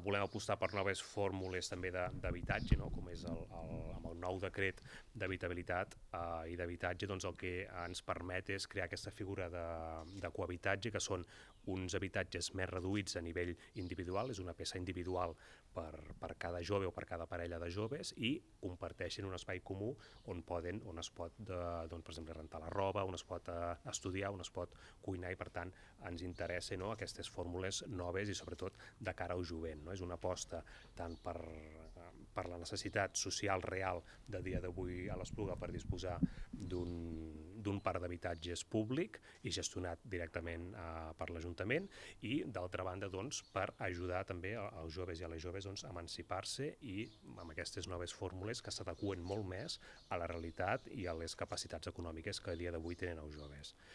Volem apostar per noves fórmules també d'habitatge, no? Com és amb el nou decret d'habitabilitat i d'habitatge, doncs el que ens permet és crear aquesta figura de cohabitatge, que són uns habitatges més reduïts a nivell individual, és una peça individual per cada jove o per cada parella de joves, i comparteixen un espai comú on es pot, doncs, per exemple, rentar la roba, on es pot estudiar, on es pot cuinar, i per tant ens interessa, no, aquestes fórmules noves i sobretot de cara al jovent. No? És una aposta tant per la necessitat social real de dia d'avui a l'Espluga per disposar d'un parc d'habitatges públic i gestionat directament per l'Ajuntament, i d'altra banda, doncs, per ajudar també als joves i a les joves, doncs, a emancipar-se i amb aquestes noves fórmules que s'adeqüen molt més a la realitat i a les capacitats econòmiques que a dia d'avui tenen els joves.